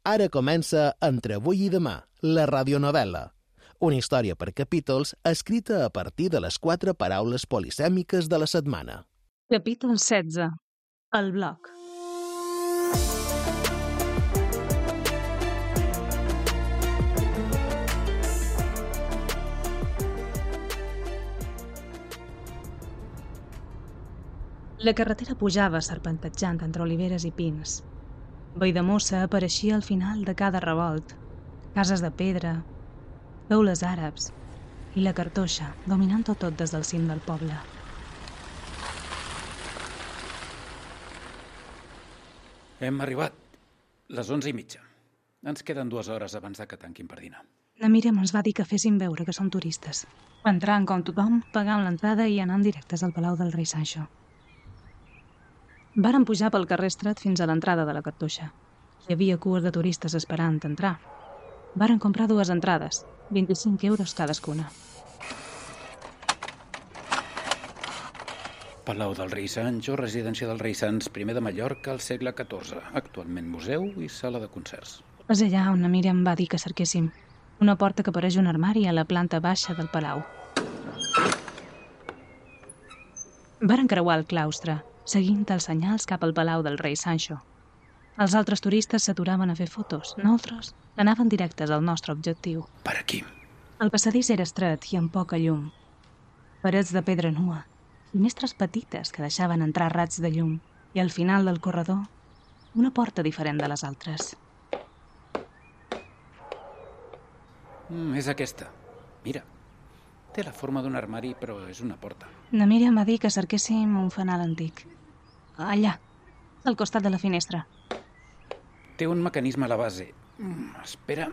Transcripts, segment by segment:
Ara comença Entre avui i demà, la radionovel·la. Una història per capítols escrita a partir de les 4 paraules polisèmiques de la setmana. Capítol 16. El bloc. La carretera pujava serpentejant entre oliveres i pins. Valldemossa apareixia al final de cada revolt, cases de pedra, teules àrabs i la Cartoixa dominant-ho tot des del cim del poble. Hem arribat. Les 11:30. Ens queden 2 hores abans de que tanquin per dinar. La Míriam ens va dir que féssim veure que som turistes. Entrant com tothom, pagant l'entrada i anant directes al Palau del Rei Sancho. Vàrem pujar pel carrer estret fins a l'entrada de la Cartoixa. Hi havia cues de turistes esperant entrar. Vàrem comprar 2 entrades, 25 euros cadascuna. Palau del Rei Sancho, residència del rei Sans I de Mallorca al segle XIV, actualment museu i sala de concerts. És allà on la Míriam va dir que cerquéssim. Una porta que apareix un armari a la planta baixa del palau. Varen creuar el claustre, seguint els senyals cap al Palau del Rei Sancho. Els altres turistes s'aturaven a fer fotos. Nosaltres anaven directes al nostre objectiu. Per aquí. El passadís era estret i amb poca llum. Parets de pedra nua, finestres petites que deixaven entrar raigs de llum i al final del corredor una porta diferent de les altres. És aquesta. Mira. Té la forma d'un armari, però és una porta. La Míriam va dir que cerquéssim un fanal antic. Allà, al costat de la finestra. Té un mecanisme a la base. Espera.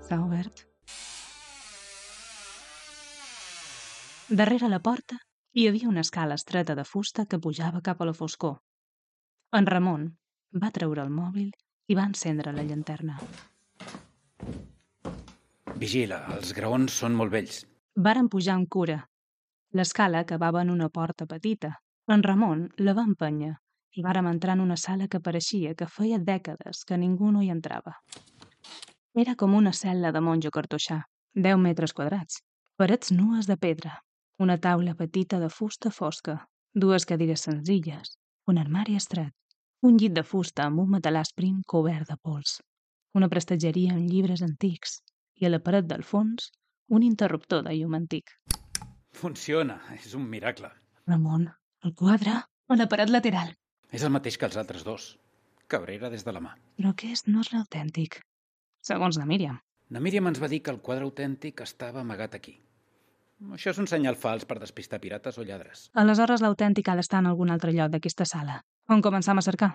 S'ha obert. Darrere la porta hi havia una escala estreta de fusta que pujava cap a la foscor. En Ramon va treure el mòbil i va encendre la llanterna. Vigila, els graons són molt vells. Varen pujar amb cura. L'escala acabava en una porta petita. En Ramon la va empènyer i vàrem entrar en una sala que pareixia que feia dècades que ningú no hi entrava. Era com una cel·la de monjo cartoixà, 10 metres quadrats, parets nues de pedra, una taula petita de fusta fosca, 2 cadires senzilles, un armari estret, un llit de fusta amb un matalàs prim cobert de pols, una prestatgeria amb llibres antics i a la paret del fons un interruptor de llum antic. Funciona, és un miracle. Ramon, el quadre a la paret lateral. És el mateix que els altres 2. Cabrera des de la mà. Però aquest no és l'autèntic, segons la Míriam. La Míriam ens va dir que el quadre autèntic estava amagat aquí. Això és un senyal fals per despistar pirates o lladres. Aleshores l'autèntic ha d'estar en algun altre lloc d'aquesta sala. On començam a cercar?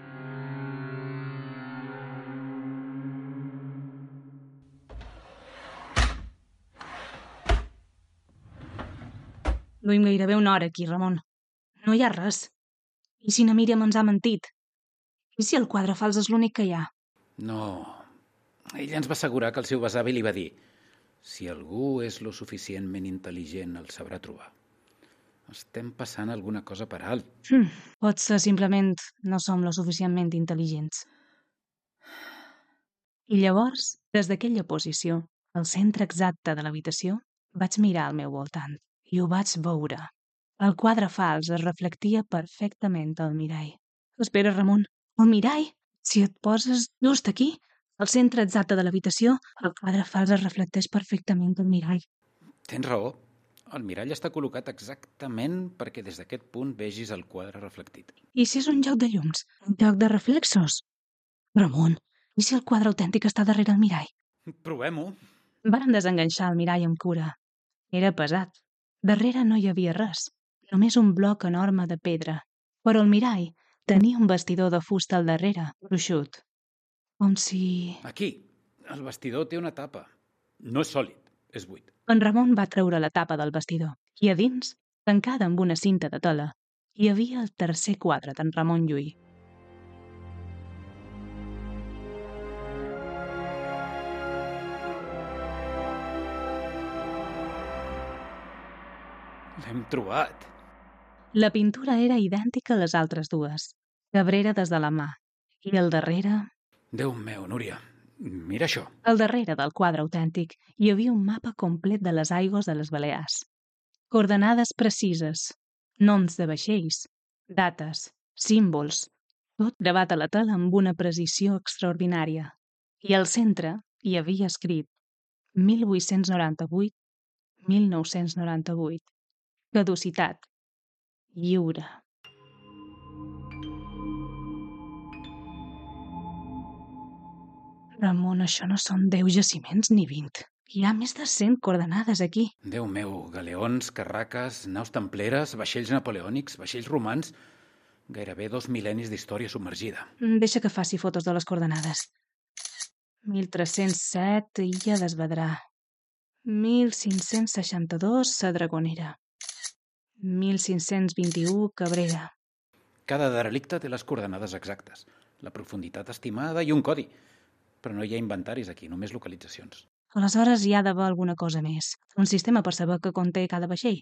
Duim gairebé una hora aquí, Ramon. No hi ha res. I si na Míriam ens ha mentit? I si el quadre fals és l'únic que hi ha? No. Ella ens va assegurar que el seu besavi li va dir: si algú és lo suficientment intel·ligent, el sabrà trobar. Estem passant alguna cosa per alt. Potser simplement no som lo suficientment intel·ligents. I llavors, des d'aquella posició, al centre exacte de l'habitació, vaig mirar al meu voltant i ho vaig veure. El quadre fals es reflectia perfectament al mirall. Espera, Ramon, el mirall? Si et poses just aquí, al centre exacte de l'habitació, el quadre fals es reflecteix perfectament al mirall. Tens raó. El mirall està col·locat exactament perquè des d'aquest punt vegis el quadre reflectit. I si és un joc de llums? Un joc de reflexos? Ramon, i si el quadre autèntic està darrere el mirall? Provem-ho. Varen desenganxar el mirall amb cura. Era pesat. Darrere no hi havia res, només un bloc enorme de pedra. Però el mirall tenia un bastidor de fusta al darrere, gruixut. Com si... Aquí. El bastidor té una tapa. No és sòlid, és buit. En Ramon va treure la tapa del bastidor i a dins, tancada amb una cinta de tela, hi havia el tercer quadre d'en Ramon Llull. L'hem trobat. La pintura era idèntica a les altres dues. Cabrera des de la mà. I al darrere... Déu meu, Núria, mira això. Al darrere del quadre autèntic hi havia un mapa complet de les aigües de les Balears. Coordenades precises, noms de vaixells, dates, símbols, tot gravat a la tela amb una precisió extraordinària. I al centre hi havia escrit 1898-1998. Caducitat. Lliure. Ramon, això no són 10 jaciments ni 20. Hi ha més de 100 coordenades aquí. Déu meu, galeons, carraques, naus templeres, vaixells napoleònics, vaixells romans... Gairebé 2 mil·lennis d'història submergida. Deixa que faci fotos de les coordenades. 1307, Illa d'Esvedrà. 1562, Sa Dragonera. 1521, Cabrera. Cada derelicte té les coordenades exactes, la profunditat estimada i un codi. Però no hi ha inventaris aquí, només localitzacions. Aleshores hi ha d'haver alguna cosa més. Un sistema per saber què conté cada vaixell.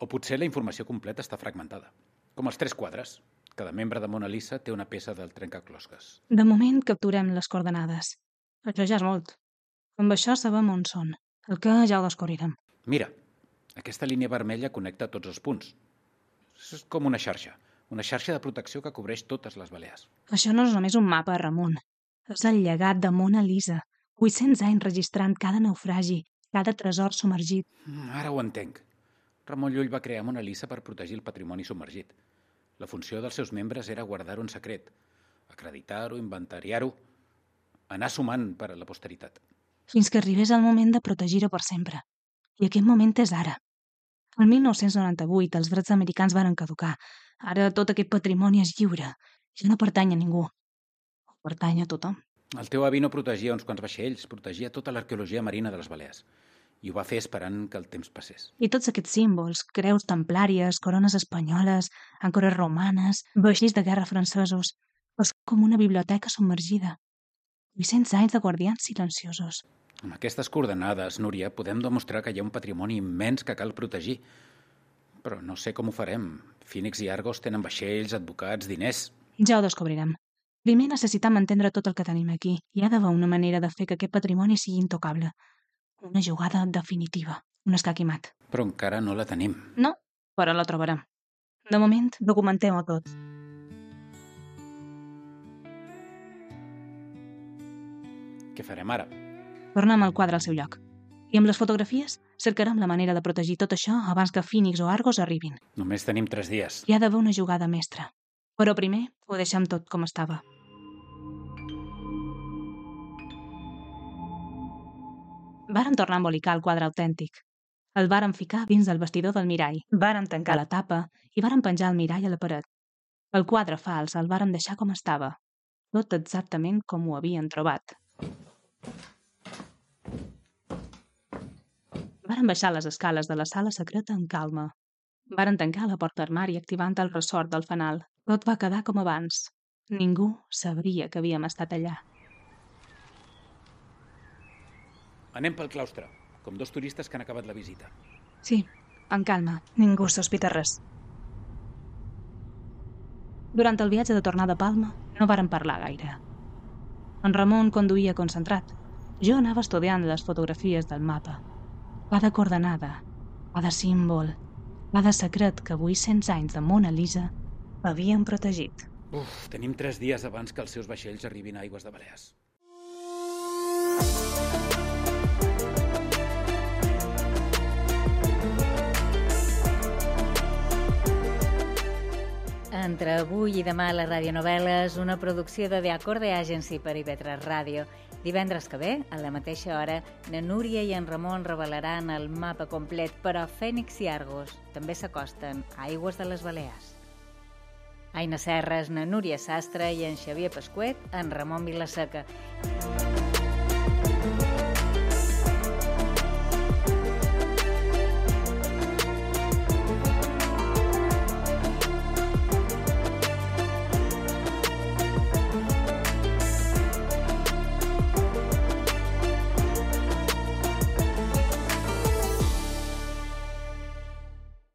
O potser la informació completa està fragmentada. Com els 3 quadres. Cada membre de Mona Lisa té una peça del trencaclosques. De moment capturem les coordenades. Això ja és molt. Amb això sabem on són. El que ja ho descobrirem. Mira, aquesta línia vermella connecta tots els punts. És com una xarxa de protecció que cobreix totes les Balears. Això no és només un mapa, Ramon. És el llegat de Mona Lisa. 800 anys registrant cada naufragi, cada tresor submergit. Ara ho entenc. Ramon Llull va crear Mona Lisa per protegir el patrimoni submergit. La funció dels seus membres era guardar-ho en secret, acreditar-ho, inventariar-ho, anar sumant per a la posteritat. Fins que arribés el moment de protegir-ho per sempre. I aquest moment és ara. El 1998 els drets americans varen caducar. Ara tot aquest patrimoni és lliure. Ja no pertany a ningú. O pertany a tothom. El teu avi no protegia uns quants vaixells, protegia tota l'arqueologia marina de les Balears. I ho va fer esperant que el temps passés. I tots aquests símbols, creus templàries, corones espanyoles, àncores romanes, vaixells de guerra francesos, és com una biblioteca submergida. 800 anys de guardians silenciosos. Amb aquestes coordenades, Núria, podem demostrar que hi ha un patrimoni immens que cal protegir. Però no sé com ho farem. Phoenix i Argos tenen vaixells, advocats, diners... Ja ho descobrirem. Primer necessitem entendre tot el que tenim aquí. Hi ha d'haver una manera de fer que aquest patrimoni sigui intocable. Una jugada definitiva. Un escaquimat. Però encara no la tenim. No, però la trobarem. De moment, documentem-ho tot. Què farem ara? Tornem el quadre al seu lloc. I amb les fotografies cercarem la manera de protegir tot això abans que Phoenix o Argos arribin. Només tenim 3 dies. Hi ha d'haver una jugada mestra. Però primer ho deixem tot com estava. Varen tornar a embolicar el quadre autèntic. El varen ficar dins del vestidor del mirall. Varen tancar la tapa i varen penjar el mirall a la paret. El quadre fals el varen deixar com estava. Tot exactament com ho havien trobat. Varen baixar les escales de la sala secreta amb calma. Varen tancar la porta armari activant el ressort del fanal. Tot va quedar com abans. Ningú sabria que havíem estat allà. Anem pel claustre, com 2 turistes que han acabat la visita. Sí, en calma. Ningú sospita res. Durant el viatge de tornada a Palma no varen parlar gaire. En Ramon conduïa concentrat. Jo anava estudiant les fotografies del mapa. Cada coordenada, cada símbol, cada secret que 800 anys de Mona Lisa havien protegit. Tenim 3 dies abans que els seus vaixells arribin a aigües de Balears. Entre avui i demà a la radionovel·la és una producció de The Acorde Agency per IB3 Ràdio. Divendres que ve, a la mateixa hora, na Núria i en Ramon revelaran el mapa complet, però Phoenix i Argos també s'acosten a aigües de les Balears. Aina Serres, na Núria Sastre i en Xavier Pasquet, en Ramon Vilaseca.